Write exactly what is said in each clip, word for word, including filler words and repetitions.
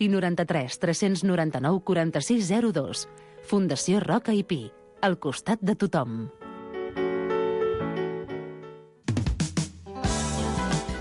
i noranta-tres tres noranta-nou quaranta-sis zero dos. Fundació Roca i Pi, al costat de tothom.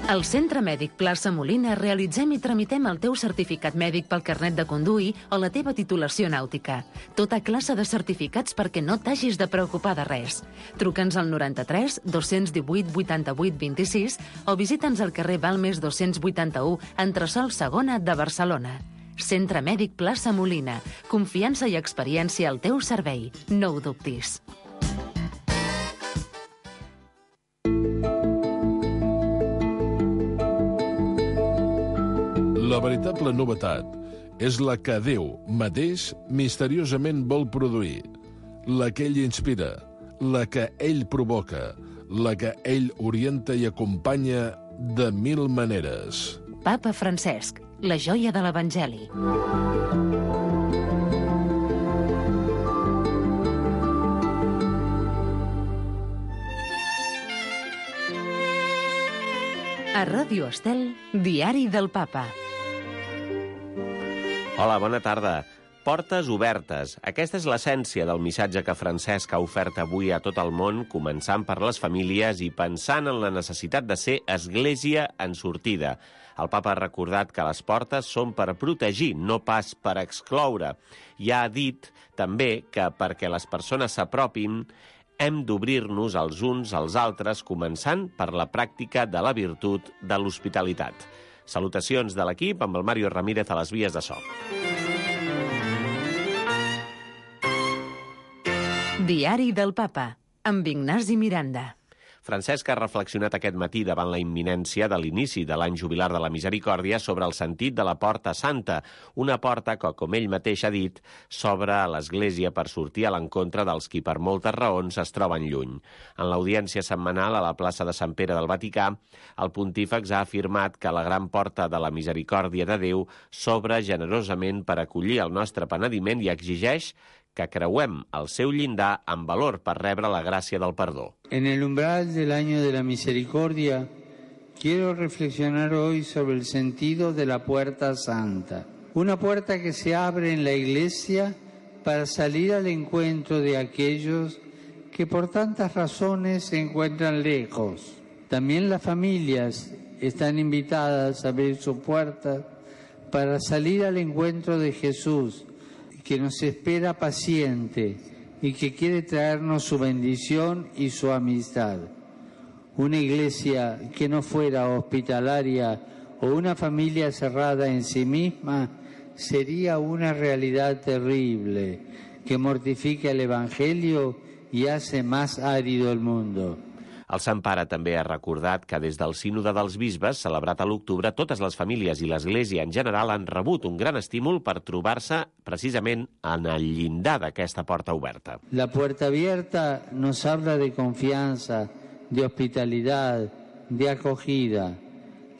Al Centre Mèdic Plaça Molina realitzem i tramitem el teu certificat mèdic pel carnet de conduir o la teva titulació nàutica. Tota classe de certificats perquè no t'hagis de preocupar de res. Truca'ns al noranta-tres dos divuit vuitanta-vuit vint-i-sis o visita'ns al carrer Balmes dos-cents vuitanta-u, entresòl segona de Barcelona. Centre Mèdic Plaça Molina. Confiança i experiència al teu servei. No ho dubtis. La veritable novetat és la que Déu mateix misteriosament vol produir, la que ell inspira, la que ell provoca, la que ell orienta i acompanya de mil maneres. Papa Francesc, la joia de l'Evangeli. A Ràdio Estel, Diari del Papa. Hola, bona tarda. Portes obertes. Aquesta és l'essència del missatge que Francesc ha ofert avui a tot el món, començant per les famílies i pensant en la necessitat de ser església en sortida. El papa ha recordat que les portes són per protegir, no pas per excloure. I ha dit també que perquè les persones s'apropin hem d'obrir-nos els uns als altres, començant per la pràctica de la virtut de l'hospitalitat. Salutacions de l'equip amb el Mario Ramírez a les vies de so. Diari del Papa, amb Ignasi Miranda. Francesc ha reflexionat aquest matí davant la imminència de l'inici de l'any jubilar de la Misericòrdia sobre el sentit de la Porta Santa, una porta que, com ell mateix ha dit, s'obre a l'Església per sortir a l'encontre dels qui per moltes raons es troben lluny. En l'audiència setmanal a la plaça de Sant Pere del Vaticà, el pontífex ha afirmat que la gran porta de la misericòrdia de Déu s'obre generosament per acollir el nostre penediment i exigeix que creuem el seu llindar amb valor per rebre la gràcia del perdó. En el umbral del año de la misericordia, quiero reflexionar hoy sobre el sentido de la Puerta Santa. Una puerta que se abre en la Iglesia para salir al encuentro de aquellos que por tantas razones se encuentran lejos. También las familias están invitadas a abrir su puerta para salir al encuentro de Jesús, que nos espera paciente y que quiere traernos su bendición y su amistad. Una iglesia que no fuera hospitalaria o una familia cerrada en sí misma sería una realidad terrible que mortifica el Evangelio y hace más árido el mundo. El Sant Pare també ha recordat que des del Sínode dels Bisbes, celebrat a l'octubre, totes les famílies i l'Església en general han rebut un gran estímul per trobar-se precisament en el llindar d'aquesta porta oberta. La puerta abierta nos habla de confianza, de hospitalidad, de acogida.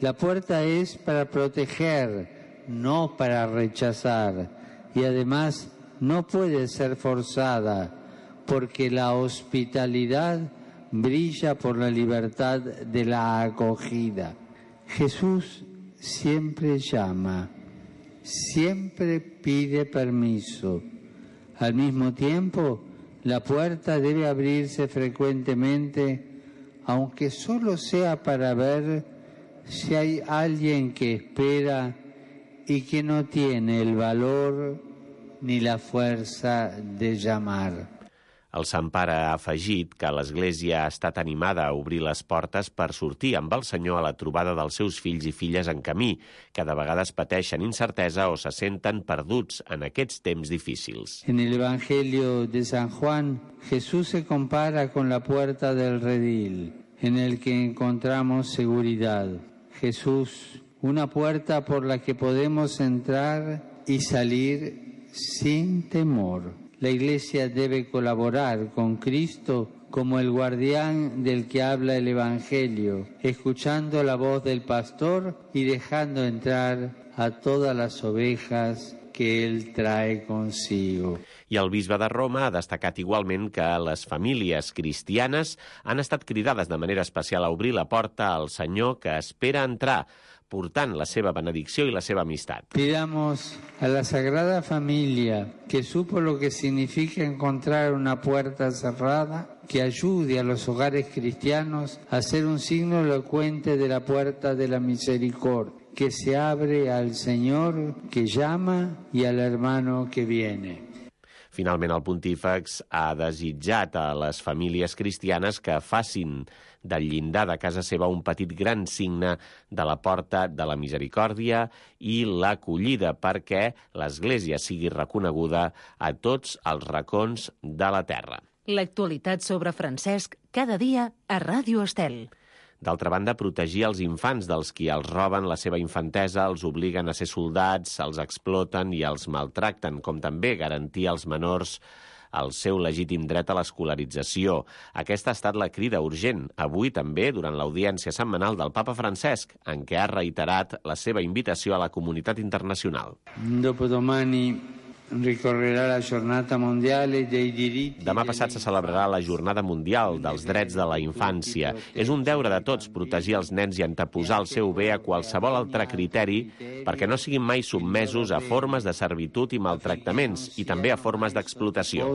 La puerta es para proteger, no para rechazar. Y además no puede ser forzada, porque la hospitalidad brilla por la libertad de la acogida. Jesús siempre llama, siempre pide permiso. Al mismo tiempo, la puerta debe abrirse frecuentemente, aunque solo sea para ver si hay alguien que espera y que no tiene el valor ni la fuerza de llamar. El Sant Pare ha afegit que l'Església ha estat animada a obrir les portes per sortir amb el Senyor a la trobada dels seus fills i filles en camí, que de vegades pateixen incertesa o se senten perduts en aquests temps difícils. En el Evangelio de San Juan, Jesús se compara con la puerta del redil, en el que encontramos seguridad. Jesús, una puerta por la que podemos entrar y salir sin temor. La Iglesia debe colaborar con Cristo como el guardián del que habla el Evangelio, escuchando la voz del pastor y dejando entrar a todas las ovejas que Él trae consigo. I el bisbe de Roma ha destacat igualment que les famílies cristianes han estat cridades de manera especial a obrir la porta al Senyor que espera entrar, portant la seva benedicció i la seva amistat. Pidamos a la Sagrada Familia, que supo lo que significa encontrar una puerta cerrada, que ayude a los hogares cristianos a ser un signo elocuente de la puerta de la misericordia, que se abre al Señor que llama y al hermano que viene. Finalment, el pontífex ha desitjat a les famílies cristianes que facin del llindar de casa seva un petit gran signe de la porta de la misericòrdia i l'acollida perquè l'Església sigui reconeguda a tots els racons de la terra. L'actualitat sobre Francesc cada dia a Ràdio Estel. D'altra banda, protegir els infants dels qui els roben la seva infantesa, els obliguen a ser soldats, els exploten i els maltracten, com també garantir als menors el seu legítim dret a l'escolarització. Aquesta ha estat la crida urgent, avui també durant l'audiència setmanal del Papa Francesc, en què ha reiterat la seva invitació a la comunitat internacional. Dopodomani ricorrerà la Giornata Mondiale dei Diritti. Demà passat se celebrarà la Jornada Mundial dels Drets de la Infància. És un deure de tots protegir els nens i anteposar el seu bé a qualsevol altre criteri perquè no siguin mai sotmesos a formes de servitud i maltractaments i també a formes d'explotació.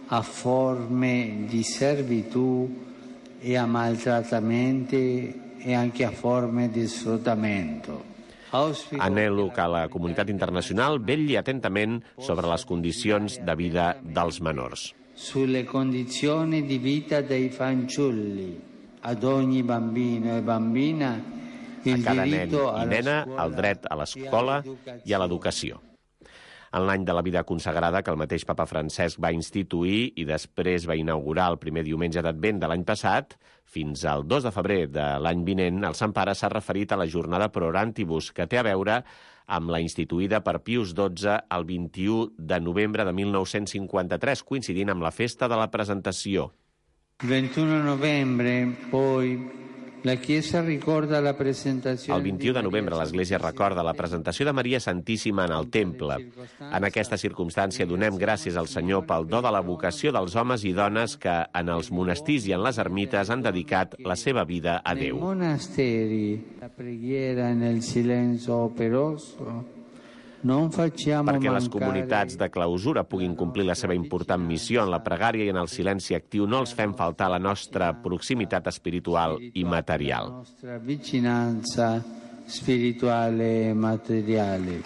A forme di servitù e a maltrattamenti e anche a forme di sfruttamento. Anhelo que la comunitat internacional vetlli atentament sobre les condicions de vida dels menors. Sulle condizioni di vita dei fanciulli, ad ogni bambino e bambina il diritto a cada nen i nena el dret a l'escola i a l'educació. En l'any de la vida consagrada que el mateix Papa Francesc va instituir i després va inaugurar el primer diumenge d'Advent de l'any passat, fins al dos de febrer de l'any vinent, el Sant Pare s'ha referit a la jornada Pro Orantibus, que té a veure amb la instituïda per Pius dotze el vint-i-u de novembre de mil nou-cents cinquanta-tres, coincidint amb la festa de la Presentació. Il ventuno novembre, poi, la Chiesa ricorda la presentació. El vint-i-u de novembre l'Església recorda la presentació de Maria Santíssima en el temple. En aquesta circumstància donem gràcies al Senyor pel do de la vocació dels homes i dones que en els monestirs i en les ermites han dedicat la seva vida a Déu. Nei monasteri, la preghiera nel silenzio operoso. Perquè les comunitats de clausura puguin complir la seva important missió en la pregària i en el silenci actiu, no els fem faltar la nostra proximitat espiritual i material. La nostra vicinanza spirituale e materiale.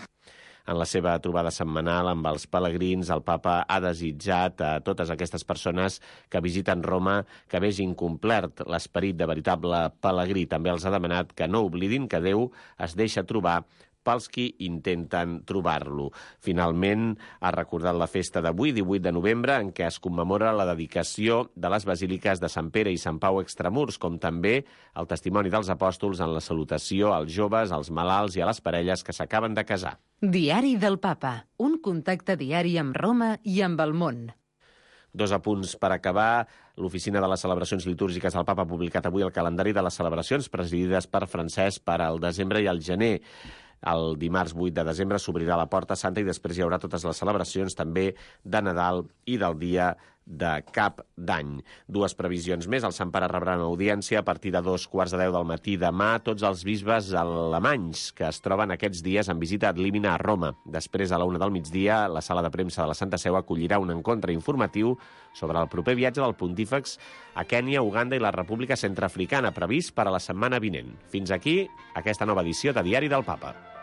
En la seva trobada setmanal amb els pelegrins, el Papa ha desitjat a totes aquestes persones que visiten Roma que vegin complert l'esperit de veritable pelegrí. També els ha demanat que no oblidin que Déu es deixa trobar pels qui intenten trobar-lo. Finalment, ha recordat la festa d'avui, divuit de novembre, en què es commemora la dedicació de les basíliques de Sant Pere i Sant Pau Extramurs, com també el testimoni dels apòstols en la salutació als joves, als malalts i a les parelles que s'acaben de casar. Diari del Papa, un contacte diari amb Roma i amb el món. Dos apunts per acabar. L'Oficina de les Celebracions Litúrgiques del Papa ha publicat avui el calendari de les celebracions presidides per Francesc per al desembre i el gener. El dimarts vuit de desembre s'obrirà la Porta Santa i després hi haurà totes les celebracions també de Nadal i del dia de Cap d'Any. Dues previsions més. El Sant Pare rebrà una audiència a partir de dos quarts de deu del matí demà tots els bisbes alemanys que es troben aquests dies en visita ad limina a Roma. Després, a la una del migdia, la sala de premsa de la Santa Seu acollirà un encontre informatiu sobre el proper viatge del pontífex a Kènia, Uganda i la República Centreafricana, previst per a la setmana vinent. Fins aquí aquesta nova edició de Diari del Papa.